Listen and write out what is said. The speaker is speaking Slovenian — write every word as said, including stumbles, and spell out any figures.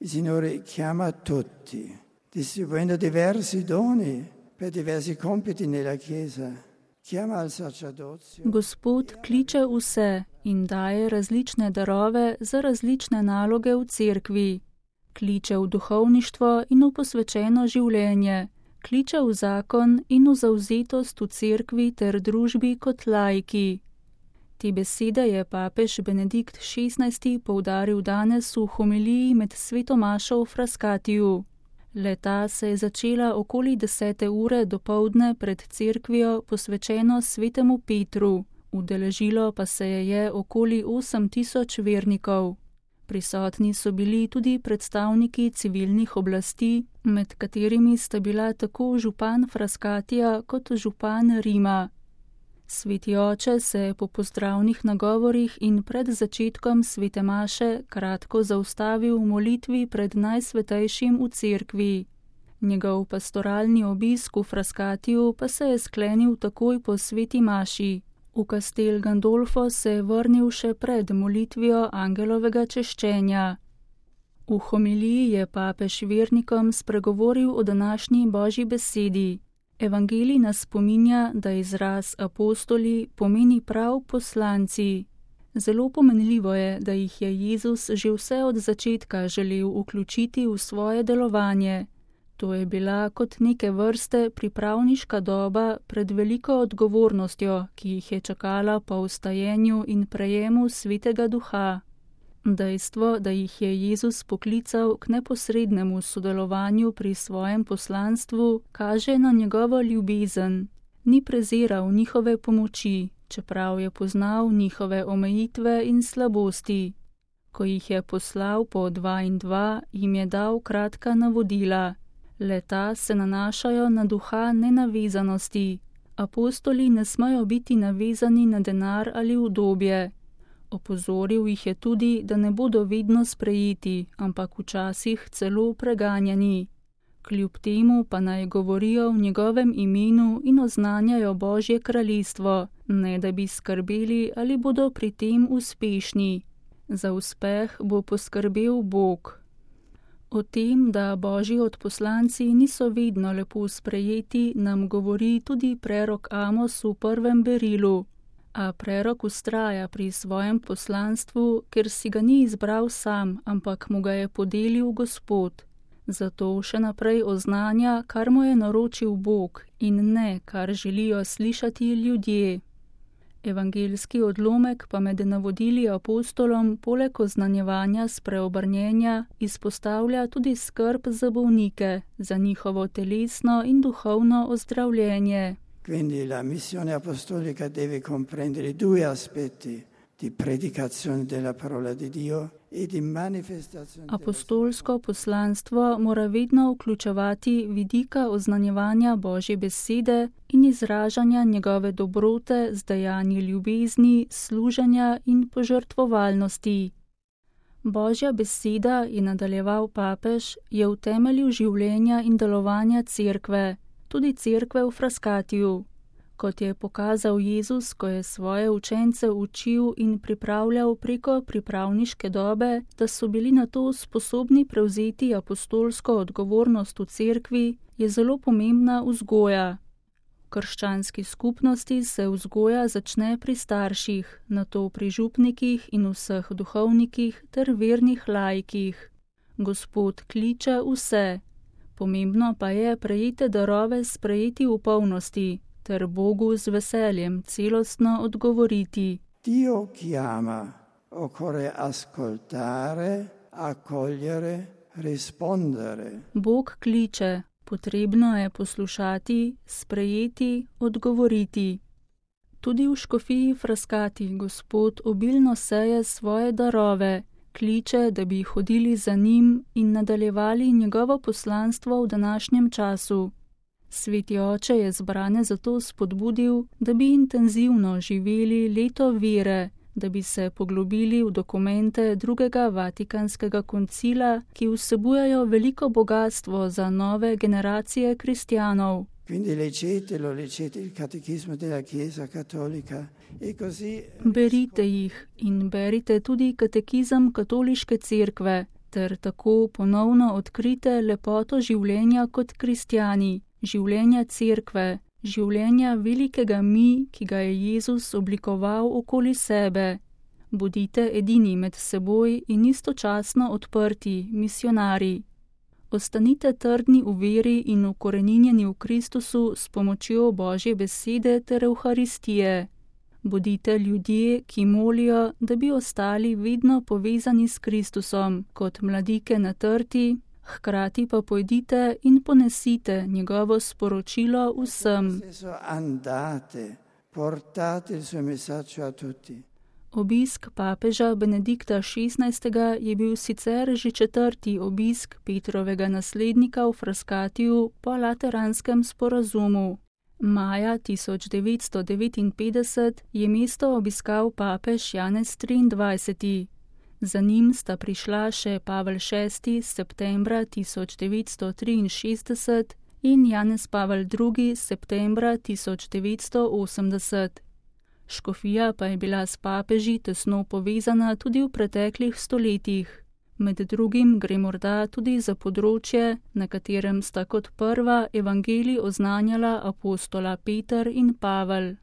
Il Signore chiama tutti, distribuendo diversi doni per diversi compiti nella Chiesa. Chiama al sacerdozio. Gospod kliče vse in daje različne darove za različne naloge v cerkvi. Kliče v duhovništvo in v posvečeno življenje. Kliče v zakon in v zavzetost v cerkvi ter družbi kot laiki. Te besede je papež Benedikt šestnajsti poudaril danes v homiliji med sveto mašo v Frascatiju. Leta se je začela okoli desete ure dopoldne pred cerkvijo posvečeno svetemu Petru, udeležilo pa se je je okoli osem tisoč vernikov. Prisotni so bili tudi predstavniki civilnih oblasti, med katerimi sta bila tako župan Frascatija kot župan Rima. Sveti oče se je po pozdravnih nagovorih in pred začetkom svete maše kratko zaustavil v molitvi pred najsvetejšim v cerkvi. Njegov pastoralni obisk v Frascatiju pa se je sklenil takoj po sveti maši. V Castel Gandolfo se je vrnil še pred molitvijo angelovega češčenja. V homiliji je papež vernikom spregovoril o današnji Božji besedi. Evangelij nas spominja, da izraz apostoli pomeni prav poslanci. Zelo pomenljivo je, da jih je Jezus že vse od začetka želel vključiti v svoje delovanje. To je bila kot neke vrste pripravniška doba pred veliko odgovornostjo, ki jih je čakala po vstajenju in prejemu Svetega Duha. Dejstvo, da jih je Jezus poklical k neposrednemu sodelovanju pri svojem poslanstvu, kaže na njegovo ljubezen. Ni preziral njihove pomoči, čeprav je poznal njihove omejitve in slabosti. Ko jih je poslal po dva in dva, jim je dal kratka navodila. Leta se nanašajo na duha nenavezanosti. Apostoli ne smejo biti navezani na denar ali udobje. Opozoril jih je tudi, da ne bodo vedno sprejeti, ampak včasih celo preganjani. Kljub temu pa naj govorijo v njegovem imenu in oznanjajo Božje kraljestvo, ne da bi skrbeli, ali bodo pri tem uspešni. Za uspeh bo poskrbel Bog. O tem, da Božji odposlanci niso vedno lepo sprejeti, nam govori tudi prerok Amos v prvem berilu. A prerok vztraja pri svojem poslanstvu, ker si ga ni izbral sam, ampak mu ga je podelil Gospod. Zato še naprej oznanja, kar mu je naročil Bog in ne, kar želijo slišati ljudje. Evangeljski odlomek pa med navodili apostolom poleg oznanjevanja spreobrnjenja izpostavlja tudi skrb za bolnike, za njihovo telesno in duhovno ozdravljenje. Quindi la missione apostolica deve comprendere due aspetti di predicazione della parola di Dio e di manifestazione. Apostolsko poslanstvo mora vedno vključevati vidika oznanjevanja Božje besede in izražanja njegove dobrote z dejanji ljubezni, služenja in požrtvovalnosti. Božja beseda, je nadaljeval papež, je v temelju življenja in delovanja cerkve, tudi cerkve v Frascatiju. Kot je pokazal Jezus, ko je svoje učence učil in pripravljal preko pripravniške dobe, da so bili na to sposobni prevzeti apostolsko odgovornost v cerkvi, je zelo pomembna vzgoja. V krščanski skupnosti se vzgoja začne pri starših, nato pri župnikih in vseh duhovnikih ter vernih laikih. Gospod kliče vse. Pomembno pa je prejete darove sprejeti v polnosti, ter Bogu z veseljem celostno odgovoriti. Dio chiama, occorre ascoltare, accogliere, rispondere. Bog kliče, potrebno je poslušati, sprejeti, odgovoriti. Tudi v škofiji Frascati Gospod obilno seje svoje darove, kliče, da bi hodili za njim in nadaljevali njegovo poslanstvo v današnjem času. Sveti oče je zbrane zato spodbudil, da bi intenzivno živeli leto vere, da bi se poglobili v dokumente drugega Vatikanskega koncila, ki vsebujejo veliko bogatstvo za nove generacije kristjanov. Berite jih in berite tudi katekizem katoliške cerkve, ter tako ponovno odkrite lepoto življenja kot kristjani, življenja cerkve, življenja velikega mi, ki ga je Jezus oblikoval okoli sebe. Bodite edini med seboj in istočasno odprti, misionari. Ostanite trdni v veri in ukoreninjeni v Kristusu s pomočjo Božje besede ter Evharistije. Bodite ljudje, ki molijo, da bi ostali vedno povezani s Kristusom, kot mladike na trti, hkrati pa pojdite in ponesite njegovo sporočilo vsem. Obisk papeža Benedikta šestnajstega je bil sicer že četrti obisk Petrovega naslednika v Frascatiju po Lateranskem sporazumu. Maja tisoč devetsto devetinpetdeset je mesto obiskal papež Janez triindvajseti. Za njim sta prišla še Pavel šesti septembra tisoč devetsto triinšestdeset in Janez Pavel drugi septembra tisoč devetsto osemdeset. Škofija pa je bila s papeži tesno povezana tudi v preteklih stoletjih. Med drugim gre morda tudi za področje, na katerem sta kot prva evangelij oznanjala apostola Peter in Pavel.